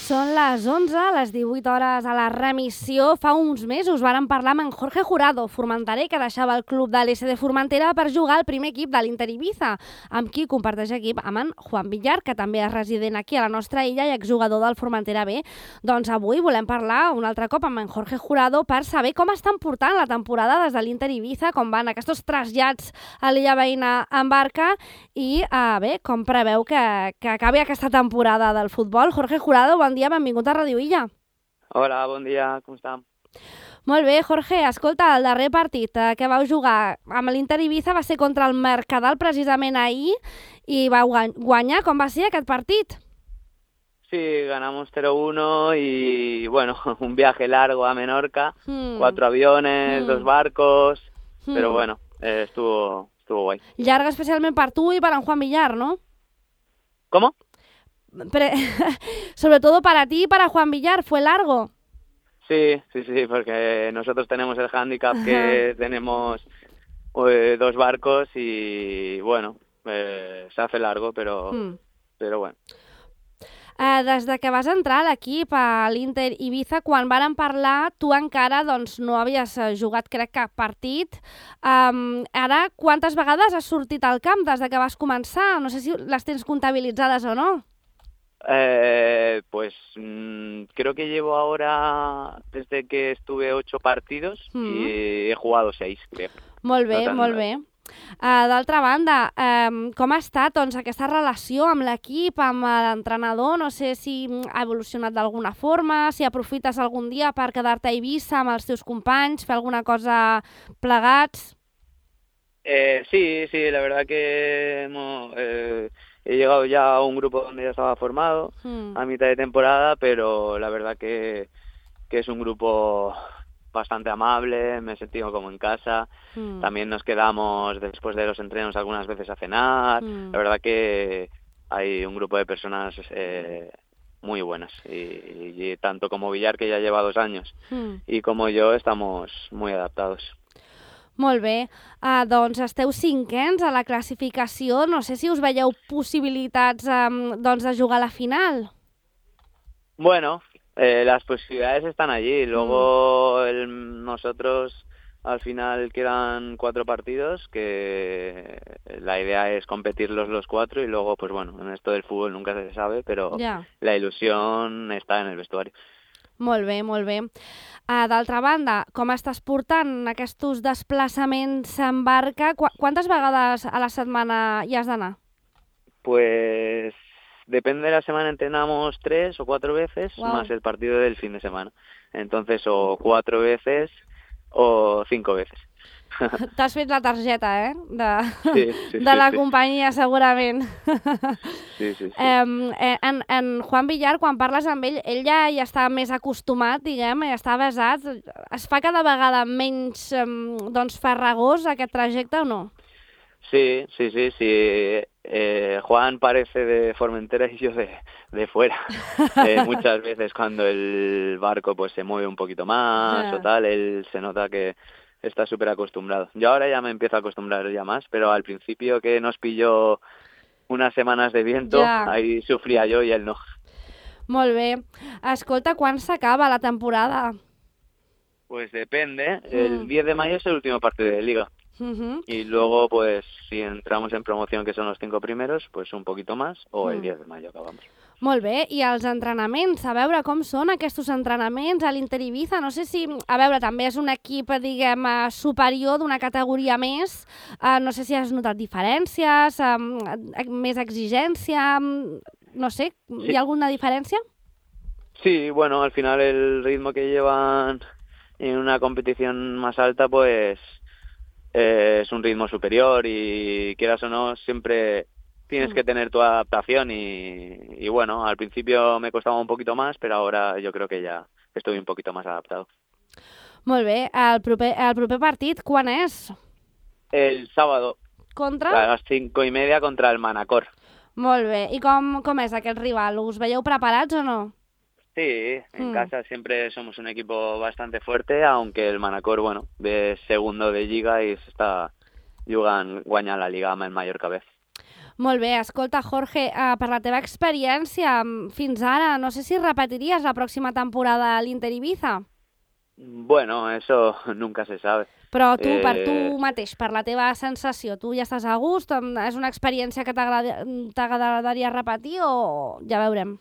Són les 11, les 18 hores a la remissió. Fa uns mesos vàrem parlar amb en Jorge Jurado, formenterer, que deixava el club de l'SD Formentera per jugar al primer equip de l'Inter Ibiza, amb qui comparteix equip amb en Juan Villar, que també és resident aquí a la nostra illa i exjugador del Formentera B. Doncs avui volem parlar un altre cop amb en Jorge Jurado per saber com estan portant la temporada des de l'Inter Ibiza, com van aquests trasllats a l'illa veïna en barca i bé, com preveu que acabi aquesta temporada del futbol. Jorge Jurado, bon dia, benvingut a Ràdio Illa. Hola, bon dia, com està? Molt bé, Jorge, escolta, el darrer partit que vau jugar amb l'Inter Ibiza va ser contra el Mercadal precisament ahir i vau guanyar. Com va ser aquest partit? Sí, ganamos 0-1 y bueno, un viaje largo a Menorca, 4 aviones, 2 barcos, pero bueno, estuvo guay. Llarga especialment per tu i per en Juan Villar, ¿no? ¿Cómo? Sobre todo para ti y para Juan Villar, ¿fue largo? Sí, porque nosotros tenemos el hándicap que tenemos 2 barcos y bueno, se hace largo, pero bueno. Des de que vas entrar a l'equip, a l'Inter Ibiza, quan vàrem parlar, tu encara no havies jugat, crec, cap partit. Ara, quantes vegades has sortit al camp des de que vas començar? No sé si les tens comptabilitzades o no. Pues creo que llevo ahora, desde que estuve 8 partidos y he jugado 6, creo. Molt bé, molt bé. D'altra banda, com ha estat aquesta relació amb l'equip, amb l'entrenador? No sé si ha evolucionat d'alguna forma, si aprofites algun dia per quedar-te a Eivissa amb els teus companys, fer alguna cosa plegats? Sí, la verdad que he llegado ya a un grupo donde ya estaba formado a mitad de temporada, pero la verdad que es un grupo bastante amable, me he sentido como en casa. También nos quedamos después de los entrenos algunas veces a cenar. La verdad que hay un grupo de personas muy buenas y tanto como Villar, que ya lleva 2 años, y como yo, estamos muy adaptados. Molt bé, doncs esteu 5ens a la classificació. No sé si us veieu possibilitats de jugar a la final. Bueno, las posibilidades están allí. Luego nosotros al final quedan 4 partidos, que la idea es competirlos los 4 y luego, pues bueno, en esto del fútbol nunca se sabe, pero la ilusión está en el vestuario. Molt bé, molt bé. D'altra banda, com estàs portant aquests desplaçaments en barca? Quantes vegades a la setmana hi has d'anar? Pues depende de la semana, entrenamos 3 o 4 veces, más el partido del fin de semana. Entonces, o 4 veces o 5 veces. T'has fet la targeta, Sí, de la companyia, segurament. Sí. En Juan Villar, quan parles amb ell, ell ja està més acostumat, diguem, ja està avesat. Es fa cada vegada menys farragós aquest trajecte o no? Sí. Juan parece de Formentera y yo de fuera. Muchas veces cuando el barco pues se mueve un poquito más o tal, él se nota que está súper acostumbrado. Yo ahora ya me empiezo a acostumbrar ya más, pero al principio, que nos pilló unas semanas de viento, ahí sufría yo y él no. Molt bé. Escolta, quan s'acaba la temporada? Pues depende. El 10 de mayo es el último partido de Liga. Y luego, pues, si entramos en promoción, que son los 5 primeros, pues un poquito más, o el 10 de mayo acabamos. Molt bé, i els entrenaments, a veure com són aquests entrenaments a l'Inter Ibiza. No sé si, a veure, també és un equip, diguem, superior, d'una categoria més. No sé si has notat diferències, més exigència, no sé, ¿hi ha alguna diferència? Sí, bueno, al final el ritmo que llevan en una competición más alta, pues es un ritmo superior y, quieras o no, siempre tienes que tener tu adaptación y bueno, al principio me costaba un poquito más, pero ahora yo creo que ya estoy un poquito más adaptado. Molt bé, el proper partit quan és? El sábado. Contra? A las 5:30 contra el Manacor. Molt bé, i com és aquest rival? Us veieu preparats o no? Sí, en casa siempre somos un equipo bastante fuerte, aunque el Manacor, bueno, ve segundo de Lliga y se está jugant guanyant la Lliga amb el Mallorca B. Molt bé, escolta, Jorge, per la teva experiència fins ara, no sé si repetiries la pròxima temporada a l'Inter Ibiza. Bueno, eso nunca se sabe. Però tu, per tu mateix, per la teva sensació, tu ja estàs a gust? És una experiència que t'agradaria repetir o ja veurem?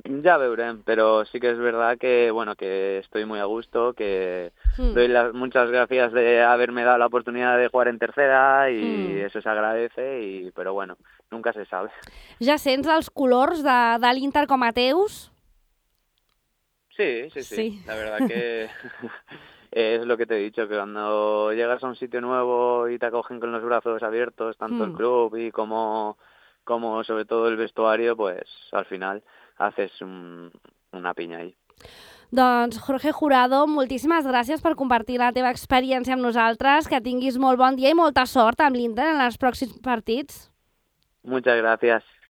Ya veremos, pero sí que es verdad que bueno, que estoy muy a gusto, que doy muchas gracias de haberme dado la oportunidad de jugar en tercera y eso se agradece, pero bueno, nunca se sabe. Ja sents els colors de l'Inter com a teus? Sí. La verdad que es lo que te he dicho, que cuando llegas a un sitio nuevo y te acogen con los brazos abiertos, tanto el club y como sobre todo el vestuario, pues al final haces una piña ahí. Doncs, Jorge Jurado, moltíssimes gràcies per compartir la teva experiència amb nosaltres, que tinguis molt bon dia i molta sort amb l'Inter en els pròxims partits. Muchas gracias.